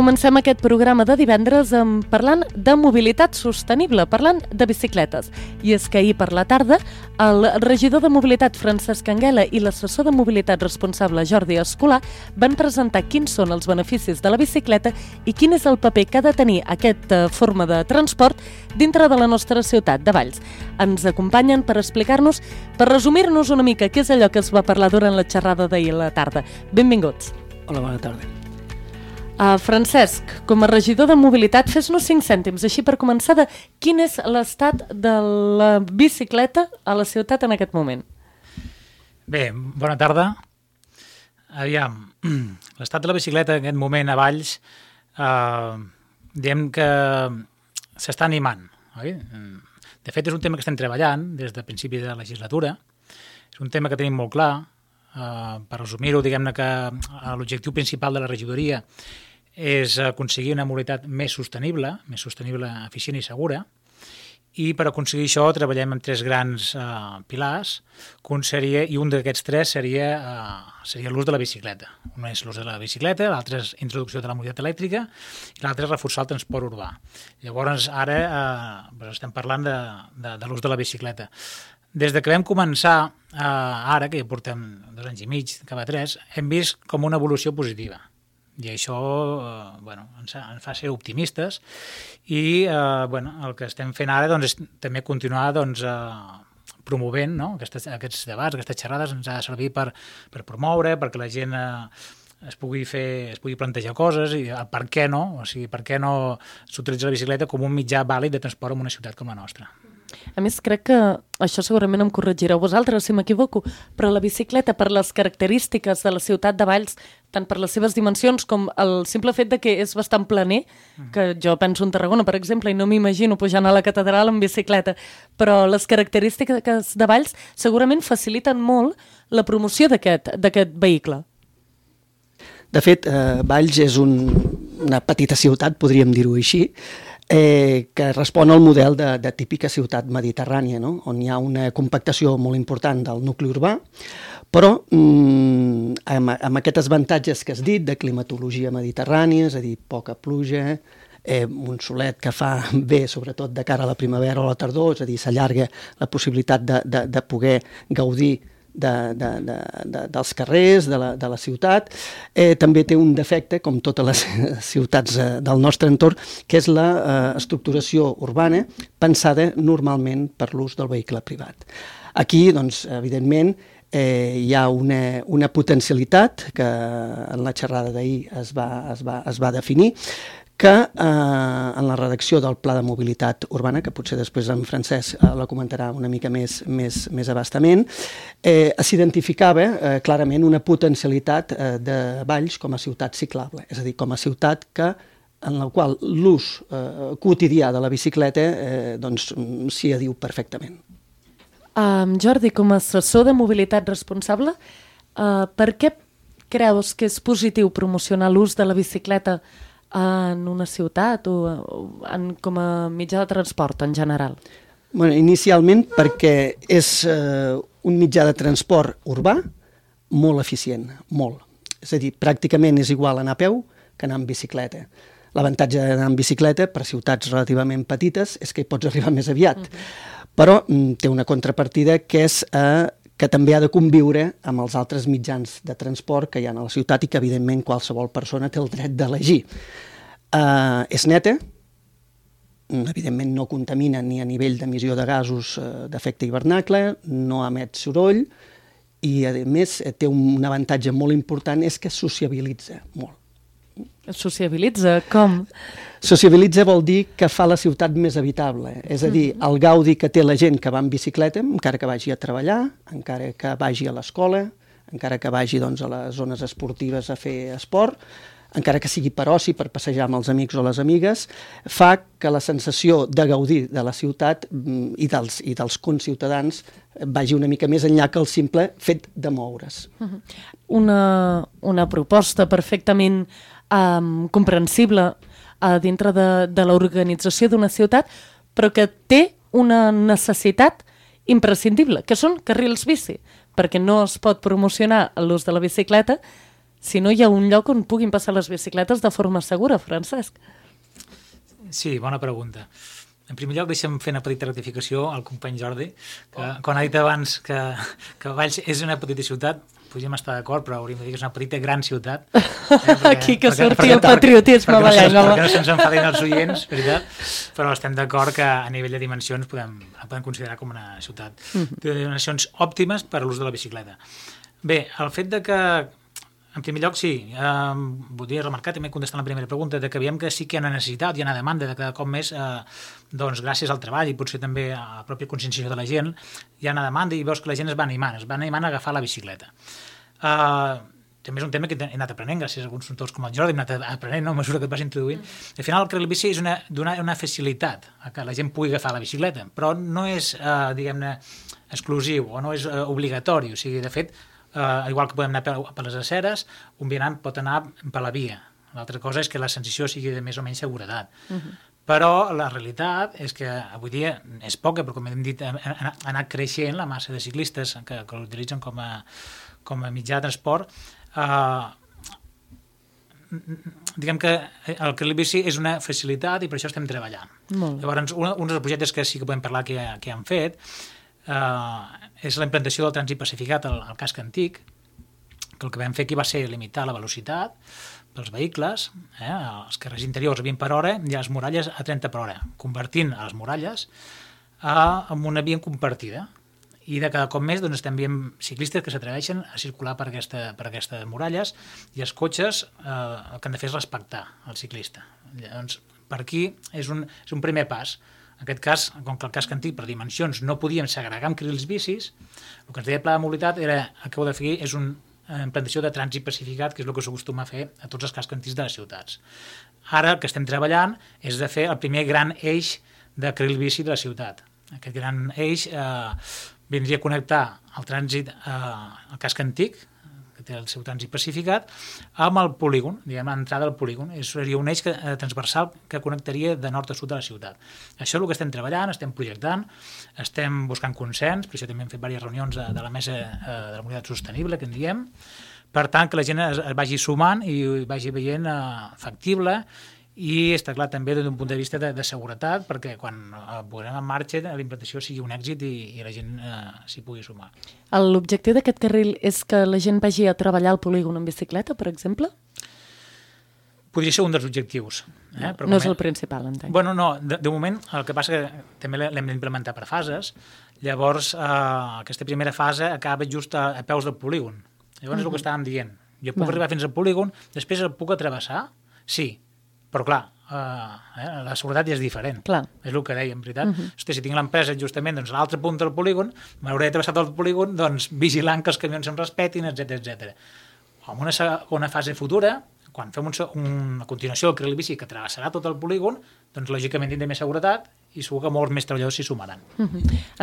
Comencem aquest programa de divendres parlant de mobilitat sostenible, parlant de bicicletes. I és que ahir per la tarda el regidor de mobilitat Francesc Anguela i l'assessor de mobilitat responsable Jordi Escolà van presentar quins són els beneficis de la bicicleta i quin és el paper que ha de tenir aquesta forma de transport dintre de la nostra ciutat de Valls. Ens acompanyen per explicar-nos, per resumir-nos una mica què és allò que es va parlar durant la xerrada d'ahir a la tarda. Benvinguts. Hola, bona tarda. Francesc, com a regidor de mobilitat, fes-nos 5 cèntims, així per començar, de quin és l'estat de la bicicleta a la ciutat en aquest moment? Bé, bona tarda. Aviam, l'estat de la bicicleta en aquest moment a Valls, diem que s'està animant, oi? De fet, és un tema que estem treballant des de principi de la legislatura. És un tema que tenim molt clar. Per resumir-ho, diguem-ne que l'objectiu principal de la regidoria és aconseguir una mobilitat més sostenible, eficient i segura, i per aconseguir això treballem amb 3 grans pilars, i un d'aquests 3 seria l'ús de la bicicleta. Un és l'ús de la bicicleta, l'altre és introducció de la mobilitat elèctrica i l'altre és reforçar el transport urbà. Llavors, ara estem parlant de l'ús de la bicicleta. Des de que vam començar, ara, que ja portem 2 anys i mig, cap a 3, hem vist com una evolució positiva. I això ens fa ser optimistes i el que estem fent ara és també continuar promovent aquests debats, aquestes xerrades. Ens ha de servir per promoure, perquè la gent es pugui plantejar coses i per què no, o sigui, per què no s'utilitza la bicicleta com un mitjà vàlid de transport en una ciutat com la nostra. A més, crec que això segurament em corregireu vosaltres si m'equivoco, però la bicicleta, per les característiques de la ciutat de Valls, tant per les seves dimensions com el simple fet de que és bastant planer, que jo penso en Tarragona, per exemple, i no m'imagino pujant a la catedral en bicicleta, però les característiques de Valls segurament faciliten molt la promoció d'aquest vehicle. De fet, Valls és una petita ciutat, podríem dir-ho així, que respon al model de típica ciutat mediterrània, no? On hi ha una compactació molt important del nucli urbà, però amb aquests avantatges que has dit, de climatologia mediterrània, és a dir, poca pluja, un solet que fa bé, sobretot de cara a la primavera o a la tardor, és a dir, s'allarga la possibilitat de poder gaudir dels carrers, de la ciutat. També té un defecte, com totes les ciutats del nostre entorn, que és l'estructuració urbana pensada normalment per l'ús del vehicle privat. Aquí, doncs, evidentment, hi ha una potencialitat que en la xerrada d'ahir es va definir, que en la redacció del Pla de Mobilitat Urbana, que potser després en Francesc la comentarà una mica més abastament, s'identificava clarament una potencialitat de Valls com a ciutat ciclable, és a dir, com a ciutat en la qual l'ús quotidià de la bicicleta s'hi adiu perfectament. Jordi, com a assessor de mobilitat responsable, per què creus que és positiu promocionar l'ús de la bicicleta en una ciutat o com a mitjà de transport en general? Inicialment perquè és un mitjà de transport urbà molt eficient, molt. És a dir, pràcticament és igual anar a peu que anar en bicicleta. L'avantatge d'anar en bicicleta per ciutats relativament petites és que hi pots arribar més aviat, però té una contrapartida que és que també ha de conviure amb els altres mitjans de transport que hi ha a la ciutat i que, evidentment, qualsevol persona té el dret d'elegir. És neta, evidentment no contamina ni a nivell d'emissió de gasos d'efecte hivernacle, no emet soroll i, a més, té un avantatge molt important, és que sociabilitza molt. Sociabilitza? Com? Sociabilitza vol dir que fa la ciutat més habitable, és a dir, el gaudi que té la gent que va en bicicleta, encara que vagi a treballar, encara que vagi a l'escola, encara que vagi a les zones esportives a fer esport, encara que sigui per oci, per passejar amb els amics o les amigues, fa que la sensació de gaudir de la ciutat i dels conciutadans vagi una mica més enllà que el simple fet de moure's. Una proposta perfectament comprensible dintre de l'organització d'una ciutat, però que té una necessitat imprescindible, que són carrils bici, perquè no es pot promocionar l'ús de la bicicleta si no hi ha un lloc on puguin passar les bicicletes de forma segura, Francesc. Sí, bona pregunta. En primer lloc, deixa'm fer una petita rectificació al company Jordi, que quan ha dit abans que Valls és una petita ciutat, podríem estar d'acord, però hauríem de dir que és una petita gran ciutat. Aquí que surti el patriotisme ballenc. Perquè no se'ns enfadin els oients, veritat, però estem d'acord que a nivell de dimensions la podem considerar com una ciutat de dimensions òptimes per a l'ús de la bicicleta. Bé, el fet de que, en primer lloc, sí, voldria remarcar, també contestant la primera pregunta, de que veiem que sí que hi ha una necessitat, hi ha una demanda de cada cop més, doncs gràcies al treball i potser també a la pròpia conscienciació de la gent, hi ha una demanda i veus que la gent es va animant a agafar la bicicleta. També és un tema que he anat aprenent gràcies a alguns consultors com el Jordi, hem anat aprenent a mesura que et vas introduint. Al final el carril bici és donar una facilitat a que la gent pugui agafar la bicicleta, però no és, diguem-ne, exclusiu o no és obligatori, o sigui, de fet, igual que podem anar per les aceres, un vianant pot anar per la via. L'altra cosa és que la sensació sigui de més o menys seguretat. Però la realitat és que avui dia és poca, però com hem dit, ha anat creixent la massa de ciclistes que l'utilitzen com a mitjà de transport. Diguem que el carril bici és una facilitat i per això estem treballant. Llavors, un dels projectes que sí que podem parlar que han fet és la implantació del trànsit pacificat al casc antic, que el que vam fer aquí va ser limitar la velocitat pels vehicles, els carrers interiors a 20 per hora i les muralles a 30 per hora, convertint les muralles en una via compartida. I de cada cop més doncs, estem veient ciclistes que s'atreveixen a circular per aquestes muralles i els cotxes el que han de fer és respectar el ciclista. Llavors, per aquí és un primer pas. En aquest cas, com que el casc antic per dimensions no podíem segregar amb carrils bicis, el que ens deia el Pla de Mobilitat era, acabo de fer, és una implantació de trànsit pacificat, que és el que s'acostuma a fer a tots els cascs antics de les ciutats. Ara el que estem treballant és de fer el primer gran eix de carril bici de la ciutat. Aquest gran eix vindria a connectar el trànsit al casc antic, que té el seu trànsit pacificat, amb el polígon, diguem, l'entrada al polígon. Seria un eix transversal que connectaria de nord a sud de la ciutat. Això és el que estem treballant, estem projectant, estem buscant consens, per això també hem fet diverses reunions de la mesa de la mobilitat sostenible, que en diem, per tant, que la gent es vagi sumant i vagi veient factible. I està clar també des d'un punt de vista de seguretat, perquè quan posem en marxa la implantació sigui un èxit i la gent s'hi pugui sumar. L'objectiu d'aquest carril és que la gent vagi a treballar al polígon en bicicleta, per exemple? Podria ser un dels objectius. No és el principal, entenc. Bueno, no, de moment el que passa que també l'hem d'implementar per fases, llavors aquesta primera fase acaba just a peus del polígon. Llavors és el que estàvem dient. Jo puc arribar fins al polígon, després el puc atravessar? Sí. Però clar, la seguretat ja és diferent. Clar. És el que dèiem, veritat? Hosti, si tinc l'empresa justament doncs, a l'altre punt del polígon, m'hauré travessat el polígon doncs, vigilant que els camions em respetin, etc. En una segona fase futura, quan fem una continuació del carril bici que travessarà tot el polígon, doncs lògicament tindrà més seguretat i segur que molts més treballadors s'hi sumaran.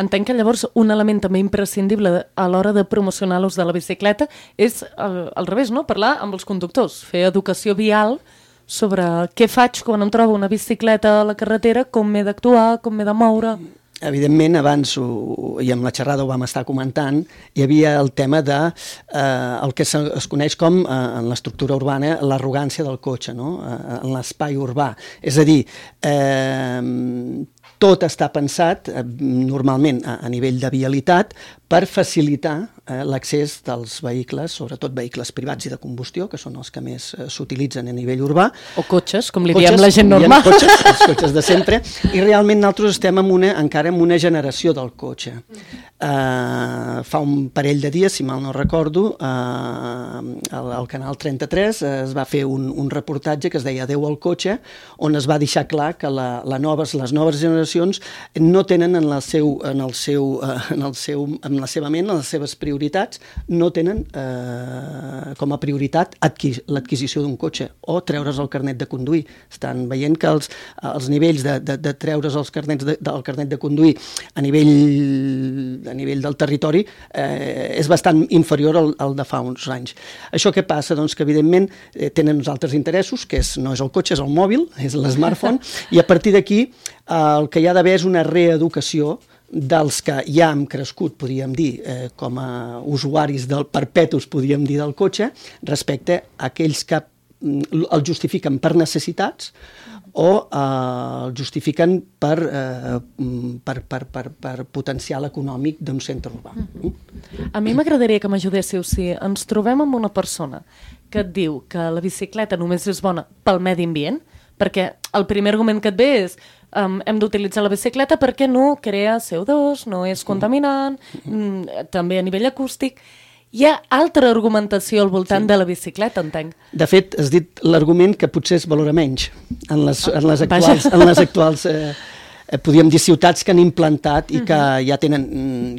Entenc que llavors un element també imprescindible a l'hora de promocionar l'ús de la bicicleta és al revés, no? Parlar amb els conductors, fer educació vial sobre què faig quan em trobo una bicicleta a la carretera, com m'he d'actuar, com m'he de moure. Evidentment, abans, i amb la xerrada ho vam estar comentant, hi havia el tema de el que es coneix com, en l'estructura urbana, l'arrogància del cotxe, no? En l'espai urbà. És a dir, tot està pensat, normalment, a nivell de vialitat, per facilitar l'accés dels vehicles, sobretot vehicles privats i de combustió, que són els que més s'utilitzen a nivell urbà. O cotxes, com li diem la gent normal. Els cotxes de sempre. I realment nosaltres estem encara en una generació del cotxe. Fa un parell de dies, si mal no recordo, al Canal 33 es va fer un reportatge que es deia Adéu al cotxe, on es va deixar clar que les noves generacions no tenen en la seva ment, en les seves prioritats, no tenen com a prioritat l'adquisició d'un cotxe o treure's el carnet de conduir. Estan veient que els nivells de treure's el carnet de conduir a nivell del territori és bastant inferior al de fa uns anys. Això què passa? Doncs que evidentment tenen uns altres interessos, que no és el cotxe, és el mòbil, és l'smartphone, i a partir d'aquí el que hi ha d'haver és una reeducació dels que ja hem crescut, podríem dir, com a usuaris perpetus, podríem dir, del cotxe, respecte a aquells que el justifiquen per necessitats o el justifiquen per potencial econòmic d'un centre urbà. A mi m'agradaria que m'ajudéssiu si ens trobem amb una persona que et diu que la bicicleta només és bona pel medi ambient, perquè el primer argument que et ve és hem d'utilitzar la bicicleta perquè no crea CO2, no és contaminant, també a nivell acústic. Hi ha altra argumentació al voltant de la bicicleta, entenc. De fet, has dit l'argument que potser es valora menys en les actuals podríem dir, ciutats que han implantat i que ja tenen,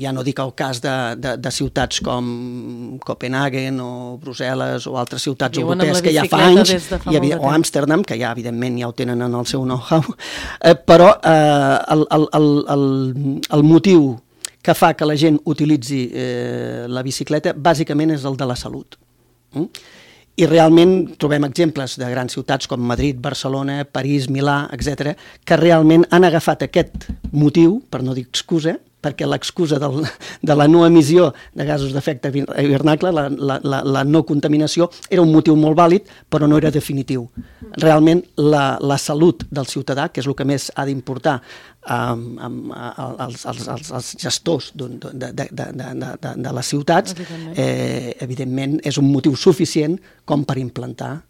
ja no dic el cas de ciutats com Copenhagen o Brussel·les o altres ciutats europees que ja fa anys, o Amsterdam, que ja evidentment ja ho tenen en el seu know-how, però el motiu que fa que la gent utilitzi la bicicleta bàsicament és el de la salut. I realment trobem exemples de grans ciutats com Madrid, Barcelona, París, Milà, etc., que realment han agafat aquest motiu, per no dir excusa, perquè l'excusa de la no emissió de gasos d'efecte hivernacle, la no contaminació, era un motiu molt vàlid, però no era definitiu. Realment, la salut del ciutadà, que és el que més ha d'importar als gestors de les ciutats, evidentment és un motiu suficient com per implantar,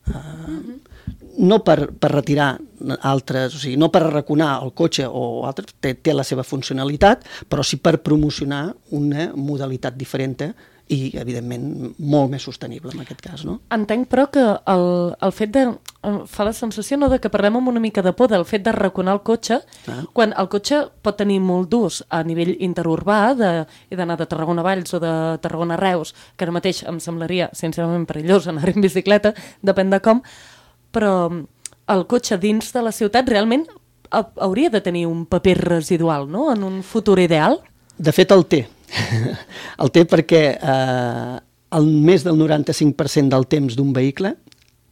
no per retirar altres, o sigui, no per arraconar el cotxe o altres, té la seva funcionalitat, però sí per promocionar una modalitat diferent i, evidentment, molt més sostenible en aquest cas, no? Entenc, però, que el fet de... fa la sensació, no?, de que parlem amb una mica de por del fet d'arraconar el cotxe, quan el cotxe pot tenir molt d'ús a nivell interurbà, he d'anar de Tarragona a Valls o de Tarragona a Reus, que ara mateix em semblaria, sincerament, perillós anar en bicicleta, depèn de com, però el cotxe dins de la ciutat realment hauria de tenir un paper residual, no?, en un futur ideal? De fet, el té. El té perquè el més del 95% del temps d'un vehicle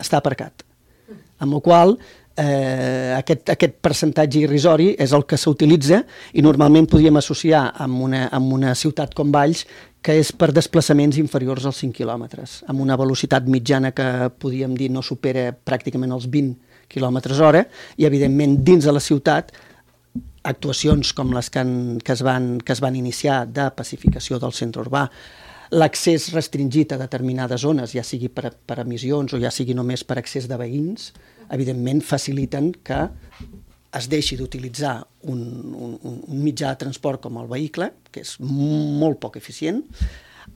està aparcat, amb la qual aquest percentatge irrisori és el que s'utilitza i normalment podríem associar amb una ciutat com Valls, que és per desplaçaments inferiors als 5 quilòmetres, amb una velocitat mitjana que podríem dir no supera pràcticament els 20 quilòmetres hora, i evidentment dins de la ciutat actuacions com les que es van iniciar de pacificació del centre urbà, l'accés restringit a determinades zones, ja sigui per emissions o ja sigui només per accés de veïns, evidentment faciliten que es deixi d'utilitzar un mitjà de transport com el vehicle, que és molt poc eficient,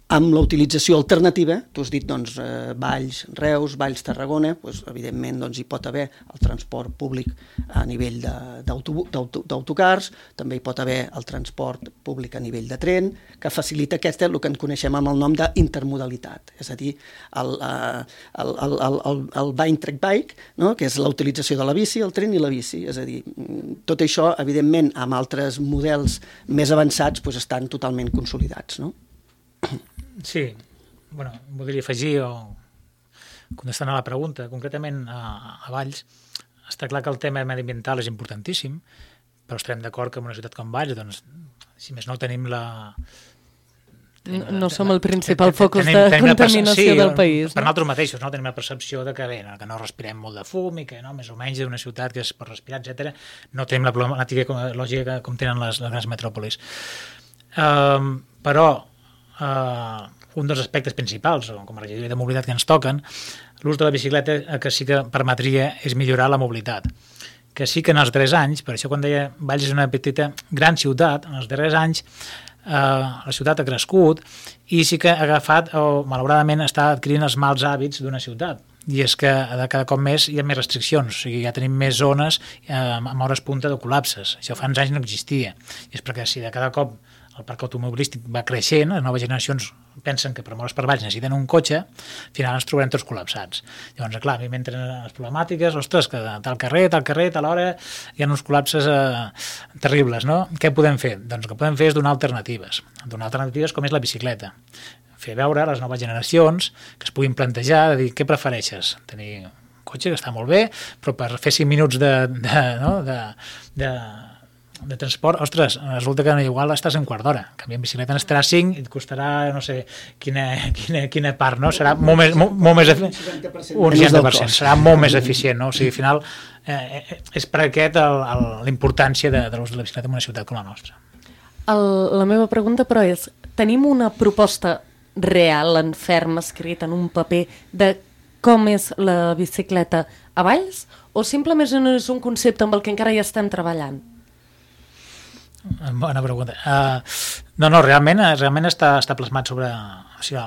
amb la utilització alternativa, tu has dit Valls, Reus, Valls, Tarragona, evidentment hi pot haver el transport públic a nivell d'autocars, també hi pot haver el transport públic a nivell de tren, que facilita el que en coneixem amb el nom d'intermodalitat, és a dir, el bike track bike, que és la utilització de la bici, el tren i la bici, és a dir, tot això, evidentment, amb altres models més avançats, estan totalment consolidats, no? Sí, voldria afegir o contestant a la pregunta, concretament a Valls, està clar que el tema mediambiental és importantíssim, però estarem d'acord que en una ciutat com Valls, doncs, si més no tenim no som el principal focus de contaminació del país. Per nosaltres mateixos, tenim la percepció de que no respirem molt de fum i que més o menys d'una ciutat que es pot respirar, etc. No tenim la problemàtica lògica com tenen les grans metròpolis. Però un dels aspectes principals, com a regidoria de mobilitat que ens toquen, l'ús de la bicicleta que sí que permetria és millorar la mobilitat. Que sí que en els darrers anys, per això quan deia Valls és una petita gran ciutat, en els darrers anys la ciutat ha crescut i sí que ha agafat o malauradament està adquirint els mals hàbits d'una ciutat. I és que cada cop més hi ha més restriccions, o sigui, ja tenim més zones amb hores punta de col·lapses. Això fa uns anys no existia. I és perquè si de cada cop el parc automobilístic va creixent, les noves generacions pensen que per moure's per Valls necessiten un cotxe, al final ens trobarem tots col·lapsats. Llavors, clar, a mi m'entren les problemàtiques, ostres, que tal carrer, tal hora, hi ha uns col·lapses terribles, no? Què podem fer? Doncs el que podem fer és donar alternatives. Donar alternatives com és la bicicleta. Fer veure a les noves generacions que es puguin plantejar, de dir, què prefereixes? Tenir un cotxe que està molt bé, però per fer 5 minuts de de transport, ostres, resulta que igual estàs en quart d'hora. En canvi, en bicicleta n'estarà 5 i et costarà, no sé, quina part, no? Serà molt més eficient. Un 60%. Serà molt més eficient, no? O sigui, al final, és per aquest la importància de l'ús de la bicicleta en una ciutat com la nostra. La meva pregunta, però, és: tenim una proposta real, en ferm, escrita en un paper, de com és la bicicleta a Valls, o simplement és un concepte amb el que encara hi estem treballant? Bona pregunta. No, realment està plasmat sobre... O sigui,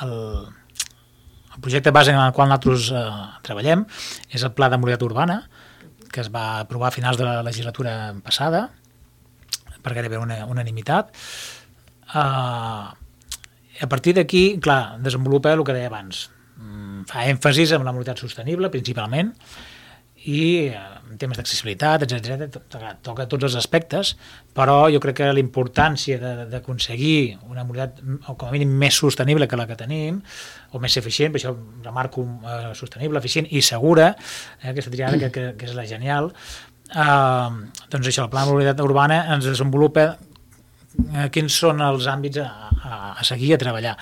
el projecte base en el qual nosaltres treballem és el Pla de Mobilitat Urbana, que es va aprovar a finals de la legislatura passada, per gairebé unanimitat. A partir d'aquí, clar, desenvolupa el que deia abans. Fa èmfasis en la mobilitat sostenible, principalment, i en temes d'accessibilitat, etc. Toca tots els aspectes, però jo crec que la importància d'aconseguir una mobilitat, com a mínim, més sostenible que la que tenim, o més eficient, per això remarco sostenible, eficient i segura, aquesta triada que és la genial, doncs això, el Pla de Mobilitat Urbana ens desenvolupa quins són els àmbits a seguir, a treballar.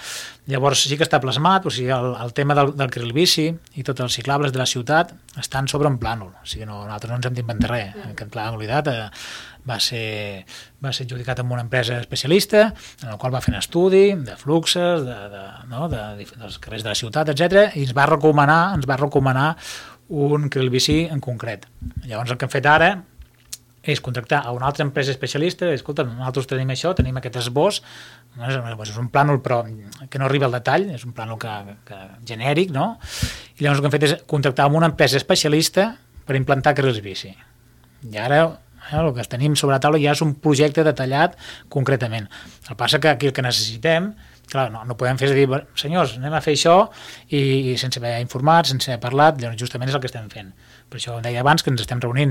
Llavors sí que està plasmat, o sigui, el tema del carril bici i tots els ciclables de la ciutat estan sobre un plànol, o sigui, nosaltres no ens hem d'inventar res. Aquest pla de mobilitat va ser adjudicat amb una empresa especialista, en el qual va fer un estudi de fluxes, dels carrers de la ciutat, etc. i ens va recomanar un carril bici en concret. Llavors el que hem fet ara és contractar a una altra empresa especialista, escolta, nosaltres tenim això, tenim aquest esbós, és un plànol però que no arriba al detall, és un plànol genèric, no? I llavors el que hem fet és contractar amb una empresa especialista per implantar carrils bici. I ara el que tenim sobre la taula ja és un projecte detallat concretament. El que passa que aquí el que necessitem, clar, no podem fer és dir, senyors, anem a fer això i sense haver informat, sense haver parlat, llavors justament és el que estem fent. Per això deia abans que ens estem reunint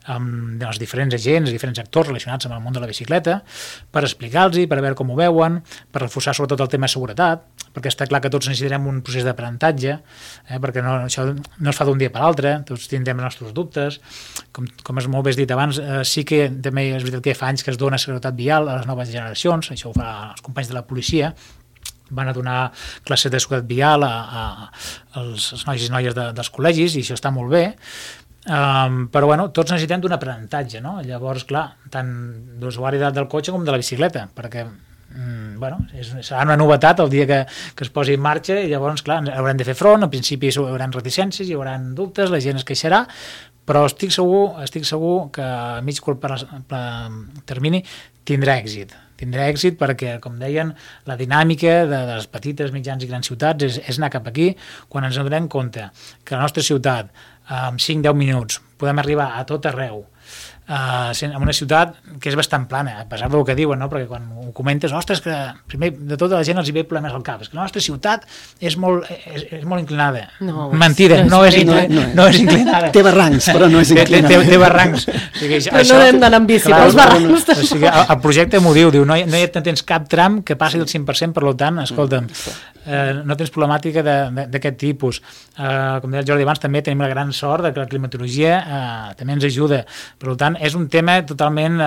amb els diferents agents, els diferents actors relacionats amb el món de la bicicleta, per explicar-los, per veure com ho veuen, per reforçar sobretot el tema de seguretat, perquè està clar que tots necessitarem un procés d'aprenentatge, perquè això no es fa d'un dia per l'altre, tots tindrem els nostres dubtes, com és molt bé dit abans, sí que també és veritat que fa anys que es dona seguretat vial a les noves generacions, això ho fa els companys de la policia, van a donar classes de seguretat vial als nois i noies dels col·legis, i això està molt bé, però bueno, tots necessitem d'un aprenentatge, no? Llavors, clar, tant d'usuari del cotxe com de la bicicleta, perquè serà una novetat el dia que es posi en marxa, i llavors, clar, haurem de fer front, al principi hi haurà reticències, hi haurà dubtes, la gent es queixarà, però estic segur que a mig curt termini tindrà èxit perquè, com deien, la dinàmica de les petites, mitjans i grans ciutats és anar cap aquí, quan ens donem compte que la nostra ciutat, en 5-10 minuts, podem arribar a tot arreu, en una ciutat que és bastant plana, a pesar del que diuen, no? Perquè quan ho comentes, ostres, que primer de tota la gent els hi ve problemes al cap, és que la nostra ciutat és molt inclinada. No, mentida, no és inclinada. Té barrancs, però no és inclinada. Té barrancs. Però no hem d'anar amb bici pels barrancs. O sigui, el projecte m'ho diu, no tens cap tram que passi del 5%, per tant, escolta'm, no tens problemàtica d'aquest tipus. Com deia el Jordi abans, també tenim la gran sort que la climatologia també ens ajuda. Per tant, és un tema totalment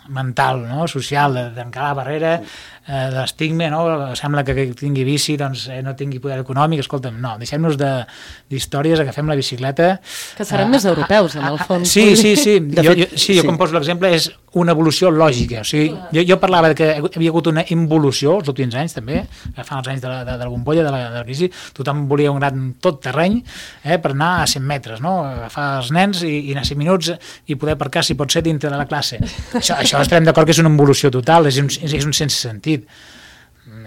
mental, no? Social, de trencar la barrera, de l'estigma, no? Sembla que tingui bici doncs, no tingui poder econòmic. Escolta'm, no, deixem-nos d'històries, agafem la bicicleta. Que seran més europeus, en el fons. Sí. Jo com poso l'exemple és una evolució lògica. O sigui, jo parlava que havia hagut una involució els últims anys, també, agafant els anys de la bombolla, de la crisi, tothom volia un gran tot terreny per anar a 100 metres, no? Agafar els nens i anar 5 minuts i poder aparcar, si pot ser, dintre de la classe. Això estarem d'acord que és una involució total, és un sense sentit.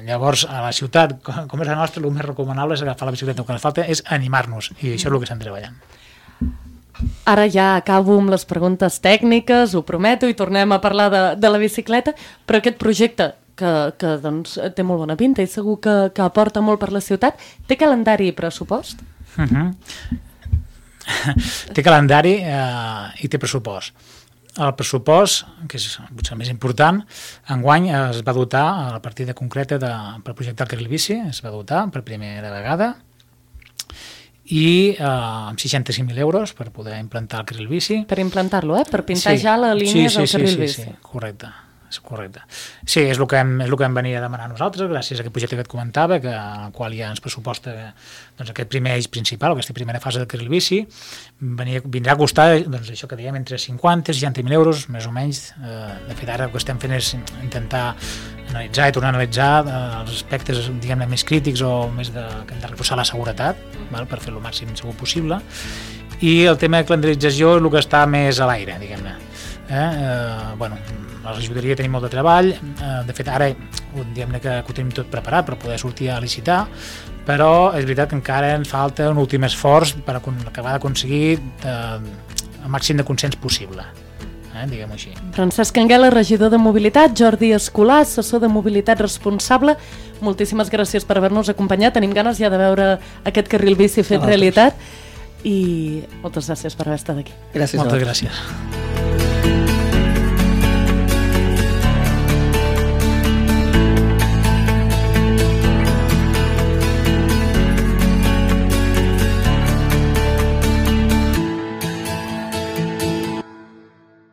Llavors, a la ciutat, com és la nostra, el més recomanable és agafar la bicicleta. El que ens falta és animar-nos, i això és el que estem treballant. Ara ja acabo amb les preguntes tècniques, ho prometo, i tornem a parlar de la bicicleta, però aquest projecte que doncs, té molt bona pinta i segur que aporta molt per la ciutat, té calendari i pressupost? Té calendari i té pressupost. El pressupost, que és potser el més important, enguany es va dotar, a la partida concreta per projectar el carril bici, es va dotar per primera vegada, i amb 65.000 euros per poder implantar el carril bici. Per implantar-lo, per pintar ja la línia del carril bici. Sí, correcte. Sí, és el que hem venit a demanar nosaltres, gràcies a aquest projecte que et comentava, al qual ja ens pressuposta aquest primer eix principal, aquesta primera fase del carril bici, vindrà a costar això que dèiem entre 50 i 60.000 euros, més o menys. De fet, ara el que estem fent és intentar analitzar i tornar a analitzar els aspectes, diguem-ne, més crítics o més que hem de reforçar la seguretat, per fer-lo màxim segur possible, i el tema de calendarització és el que està més a l'aire, diguem-ne. La regidoria tenim molt de treball, de fet ara diguem-ne que ho tenim tot preparat per poder sortir a licitar, però és veritat que encara ens falta un últim esforç per acabar d'aconseguir el màxim de consens possible, diguem-ho així. Francesc Anguela, regidor de Mobilitat, Jordi Escolà, assessor de Mobilitat responsable, moltíssimes gràcies per haver-nos acompanyat, tenim ganes ja de veure aquest carril bici fet realitat i moltes gràcies per haver estat aquí. Gràcies. Moltes gràcies.